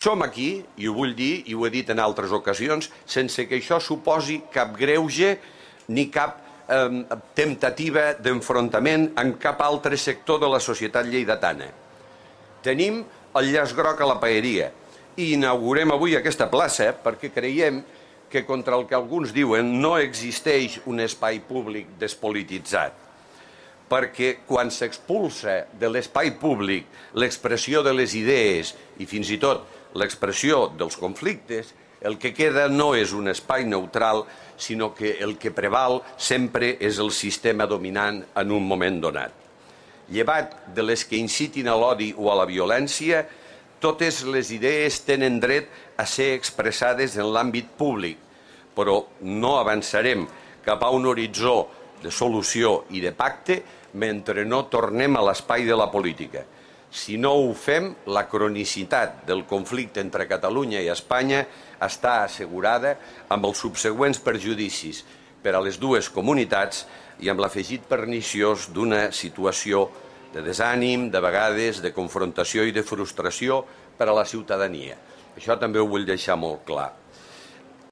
Som aquí, i ho vull dir, i ho he dit en altres ocasions, sense que això suposi cap greuge ni cap temptativa d'enfrontament en cap altre sector de la societat lleidatana. Tenim el llaç groc a la paeria i inaugurem avui aquesta plaça perquè creiem que contra el que alguns diuen no existeix un espai públic despolititzat. Perquè quan s'expulsa de l'espai públic l'expressió de les idees i fins i tot l'expressió dels conflictes, el que queda no és un espai neutral, sinó que el que preval sempre és el sistema dominant en un moment donat. Llevat de les que incitin a l'odi o a la violència, totes les idees tenen dret a ser expressades en l'àmbit públic, però no avançarem cap a un horitzó de solució i de pacte mentre no tornem a l'espai de la política. Si no ho fem, la cronicitat del conflicte entre Catalunya i Espanya està assegurada amb els subsegüents perjudicis per a les dues comunitats i amb l'afegit perniciós d'una situació de desànim, de vegades de confrontació i de frustració per a la ciutadania. Això també ho vull deixar molt clar.